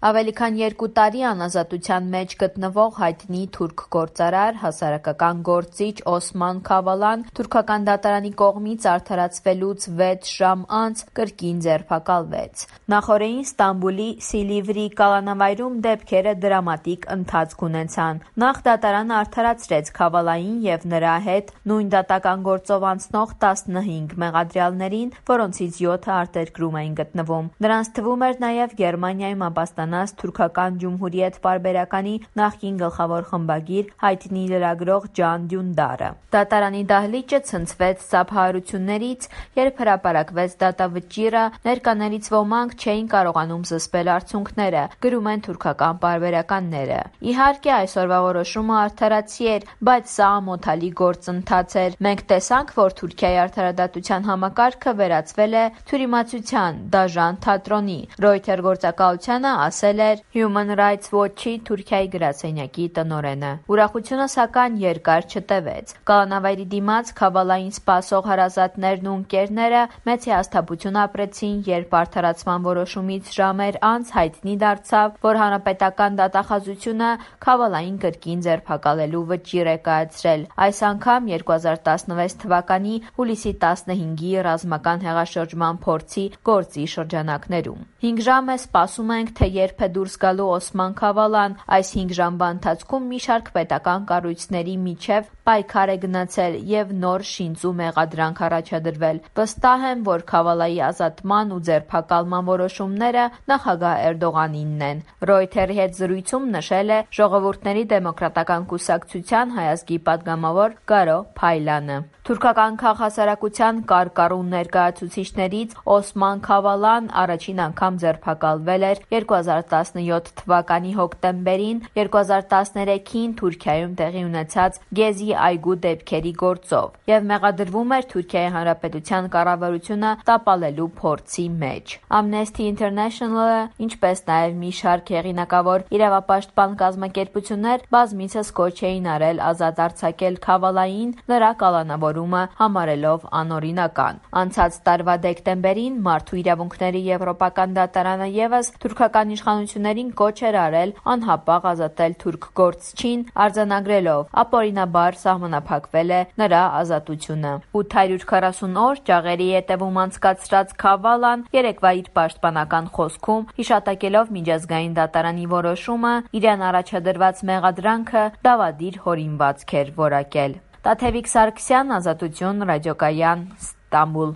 Ավելի քան 2 տարի անազատության մեջ գտնվող հայտնի թուրք գործարար, հասարակական գործիչ Օսման Քավալան թուրքական դատարանի կողմից արդարացվելուց 6 ժամ անց կրկին ձերբակալվեց։ Նախօրեին Ստամբուլի Սիլիվրի կալանավայրում դեպքերը դրամատիկ ընթացք ունեցան։ Նախ դատարանը արդարացրեց Քավալային և նրա հետ նույն դատական գործով անցնող 15 մեղադրյալներին, որոնցից 7-ը արտերկրում էին գտնվում։ Նրանց թվում էր նաև Գերմանիայում ապաստանած թուրքական ջումհուրիետ պարբերականի նախկին գլխավոր խմբագիր, հայտնի լրագրող Ջան Դյունդարը։ Դատարանի դահլիճը ցնցվեց սափահարություններից, երբ հրապարակվեց դատավճիռը, ներկաներից ոմանք չէին կարողանում զսպել արցունքները, գրում են թուրքական պարբերականները։ Իհարկե, այսօրվա որոշումը արդարացի էր, բայց սա ամոթալի գործընթաց էր։ Մենք տեսանք, որ Թուրքիայի արդարադատության համակարգը վերածվել է թյուրիմացության, դաժան թատրոնի։ Reuters գործակալությանը ասել էր Human Rights Watch-ի Թուրքիայի գրասենյակի տնօրենը։ Ուրախությունը, սակայն, երկար չտևեց։ Կալանավայրի դիմաց Քավալային սպասող հարազատներն ու ընկերները մեծ հիասթափություն ապրեցին, երբ արդարացման որոշումից ժամեր անց հայտնի դարձավ, որ հանրապետական դատախազությունը Քավալային կրկին ձերբակալելու վճիռ է կայացրել, այս անգամ 2016 թվականի հուլիսի 15-ի ռազմական հեղաշրջման փորձի գործի շրջանակներում։ 5 ժամ է սպասում ենք, թե երբ է դուրս գալու Օսման Քավալան։ Այս 5 ժամվա ընթացքում մի շարք պետական կառույցների միջև պայքար է գնացել և նոր շինծու մեղադրանք առաջադրվել։ Վստահ եմ, որ Քավալայի ազատման ու ձերբակալման որոշումները նախագահ Էրդողանինն են, Reuters-ի հետ զրույցում նշել է Ժողովուրդների դեմոկրատական կուսակցության հայազգի պատգամավոր Գարո Փայլանը։ Թուրքական քաղհասարակության կարկառուն ներկայացուցիչներից Օսման Քավալան առաջին անգամ ձերբակալվել էր 2017 թվականի հոկտեմբերին 2013-ին Թուրքիայում տեղի ունեցած Գեզի այգու դեպքերի գործով և մեղադրվում էր Թուրքիայի Հանրապետության կառավարությունը տապալելու փորձի մեջ։ Amnesty International-ը, ինչպես նաև մի շարք հեղինակավոր իրավապաշտպան կազմակերպություններ բազմիցս կոչ էին արել ազատ արձակել Քավալային, նրա կալանավորումը համարելով անօրինական։ Անցած տարվա դեկտեմբերին Մարդու իրավունքների եվրոպական դատարանը ևս թուրքական իշխանություններին կոչ էր արել անհապաղ ազատել թուրք գործչին, արձանագրելով ապօրինաբար սահմանափակվել է նրա ազատությունը։ 840 օր ջաղերի ետևում անցկացրած Քավալան երեկվա իր պաշտպանական խոսքում հիշատակելով միջազգային դատարանի որոշումը, իրեն առաջադրված մեղադրանքը դավադիր հորինվածք էր որակել։ Տաթևիկ Սարգսյան, Ազատություն, Ռադիոկայան, Ստամբուլ։